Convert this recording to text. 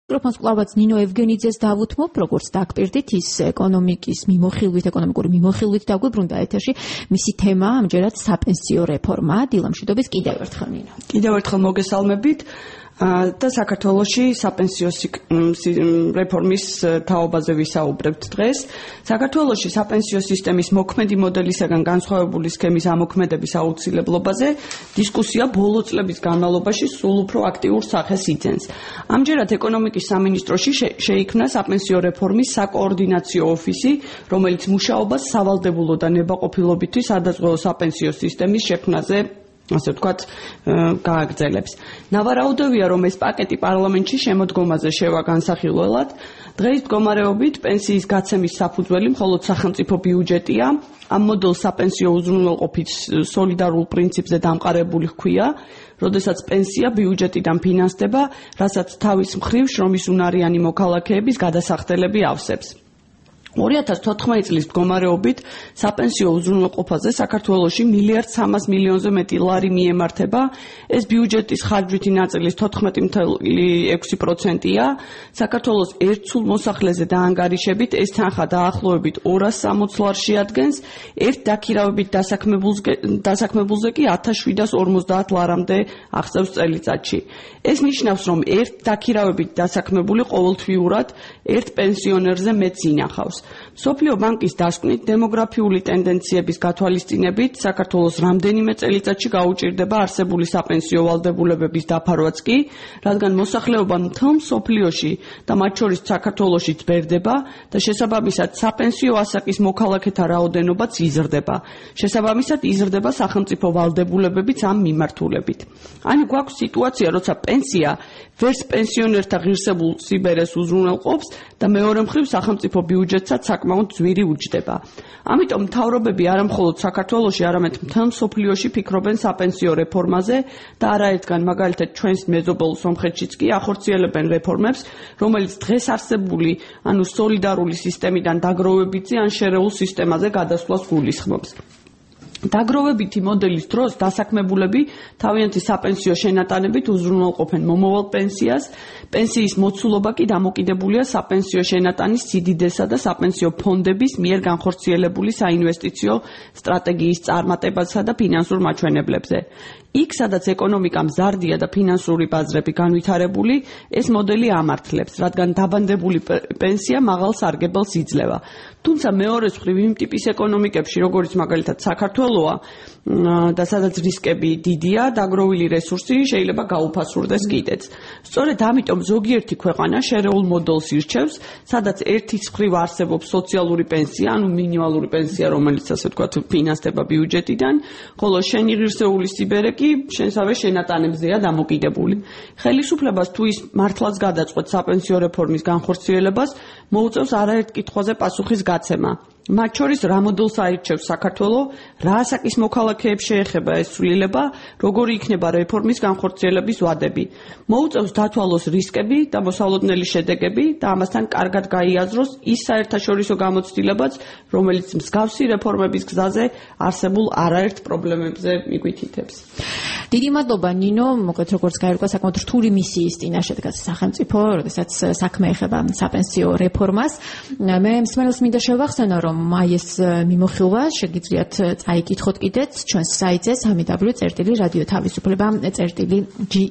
მიკროფონს კლავაც ნინო ევგენიძეს დავუთმობ, როგორც დაგპირდით ის ეკონომიკური მიმოხილვით დაგვიბრუნდა ეთერში. მისი თემა ამჯერად საპენსიო რეფორმა. დილა მშვიდობის კიდევ ერთხელ ნინო. კიდევ ერთხელ მოგესალმებით. და საქართველოში საპენსიო რეფორმის თაობაზე ვისაუბრებთ დღეს. საქართველოში საპენსიო სისტემის მოქმედი მოდელისაგან განსხვავებული სქემის ამოქმედების აუცილებლობაზე დისკუსია ბოლო წლების განმავლობაში სულ უფრო აქტიურ სახეს იძენს. ამჯერად ეკონომიკის სამინისტროში შეიქმნა საპენსიო რეფორმის საკოორდინაციო ოფისი, რომელიც მუშაობას სავალდებულო და ნებაყოფილობითი სადაზღვეო საპენსიო სისტემის შექმნაზე ასე ვთქვათ, გააგრძელებს. ნავარაუდევია, რომ ეს პაკეტი პარლამენტში შემოდგომაზე შევა განსახილველად. დღეს მდგომარეობით პენსიის გაცემის საფუძველი მხოლოდ სახელმწიფო ბიუჯეტია. ამ მოდელს საპენსიო უზრუნველყოფის სოლიდარულ პრინციპზე დამყარებული ჰქვია, როდესაც პენსია ბიუჯეტიდან ფინანსდება, რასაც თავის მხრივ შრომის უნარიანი მოქალაქეების გადასახდელები ავსებს. 2014 წლის მდგომარეობით საპენსიო უზრუნველყოფაზე საქართველოში 1,3 მილიარდზე მეტი ლარი მიემართება. ეს ბიუჯეტის ხარჯვითი ნაწილის 14.6%-ია. საქართველოს ერთსულ მოსახლეზე დაანგარიშებით ეს თანხა დაახლოებით 260 ლარს შეადგენს. ერთ დაქირავებით დასაქმებულზე კი 1750 ლარამდე აღწევს წელიწადში. ეს ნიშნავს, რომ ერთ დაქირავებით დასაქმებული ყოველთვიურად ერთ პენსიონერზე მეტს ინახავს. მსოფლიო ბანკის დასკვნით დემოგრაფიული ტენდენციების გათვალისწინებით საქართველოს რამდენიმე წელიწადში გაუჭირდება არსებული საპენსიო ვალდებულებების დაფარვაც კი, რადგან მოსახლეობა მთელ მსოფლიოში და მათ შორის საქართველოშიც ბერდება და შესაბამისად საპენსიო ასაკის მოქალაქეთა რაოდენობაც იზრდება. შესაბამისად იზრდება სახელმწიფო ვალდებულებებიც ამ მიმართულებით. ანუ გვაქვს სიტუაცია, როცა პენსია ვერც პენსიონერთა ღირსებულ სიბერეს უზრუნველყოფს და მეორე მხრივ სახელმწიფო ბიუჯეტსაც საკმაოდ ძვირი უჯდება. ამიტომ მთავრობები არა მხოლოდ საქართველოში, არამედ მთელ მსოფლიოში ფიქრობენ საპენსიო რეფორმაზე და არაერთგან მაგალითად ჩვენს მეზობელ სომხეთშიც კი ახორციელებენ რეფორმებს, რომელიც დღეს არსებული, ანუ სოლიდარული სისტემიდან დაგროვებითი ან შერეულ სისტემაზე გადასვლას გულისხმობს. დაგროვებითი მოდელის დროს დასაქმებულები თავიანთი საპენსიო შენატანებით უზრუნველყოფენ მომავალ პენსიას, პენსიის მოცულობა კი დამოკიდებულია საპენსიო შენატანის სიდიდესა და საპენსიო ფონდების მიერ განხორციელებული საინვესტიციო სტრატეგიის წარმატებასა და ფინანსურ მაჩვენებლებზე. იქ, სადაც ეკონომიკა მზარდია და ფინანსური ბაზრები განვითარებული, ეს მოდელი ამართლებს, რადგან დაბანდებული პენსია მაღალ სარგებელს იძლევა. თუმცა მეორე მხრივ იმ ტიპის ეკონომიკებში, როგორც მაგალითად საქართველოა და სადაც რისკები დიდია, დაგროვილი რესურსი შეიძლება გაუფასურდეს კიდეც. სწორედ ამიტომ ზოგიერთი ქვეყანა შერეულ მოდელს ირჩევს, სადაც ერთის მხრივ არსებობს სოციალური პენსია, ანუ მინიმალური პენსია, რომელიც ასე ვთქვათ ფინანსდება ბიუჯეტიდან, ხოლო შენი ღირსეული სიბერე კი შენსავე შენატანებზეა დამოკიდებული. ხელისუფლებას თუ ის მართლაც გადაწყვეტს საპენსიო რეფორმის განხორციელებას, მოუწევს არაერთ კითხვაზე პასუხის გაცემა. მათ შორის რა მოდელს აირჩევს საქართველო, რა ასაკის მოქალაქეებს შეეხება ეს ცვლილება, როგორი იქნება რეფორმის განხორციელების ვადები. მოუწევს დათვალოს რისკები და მოსალოდნელი შედეგები და ამასთან კარგად გაიაზროს ის საერთაშორისო გამოცდილებაც, რომელიც მსგავსი რეფორმების გზაზე არსებულ არაერთ პრობლემებზე მიგვითითებს. დიდი მადლობა ნინო, მოკლედ როგორც გაირკვა საკმაოდ რთული მისიის წინაშე დგას სახელმწიფო, როდესაც საქმე ეხება საპენსიო რეფორმას. მე მსმენელს მინდა შევახსენო, რომ აი ეს მიმოხილვა შეგიძლიათ წაიკითხოთ კიდეც ჩვენს საიტზე www.radioთავისუფლება.ge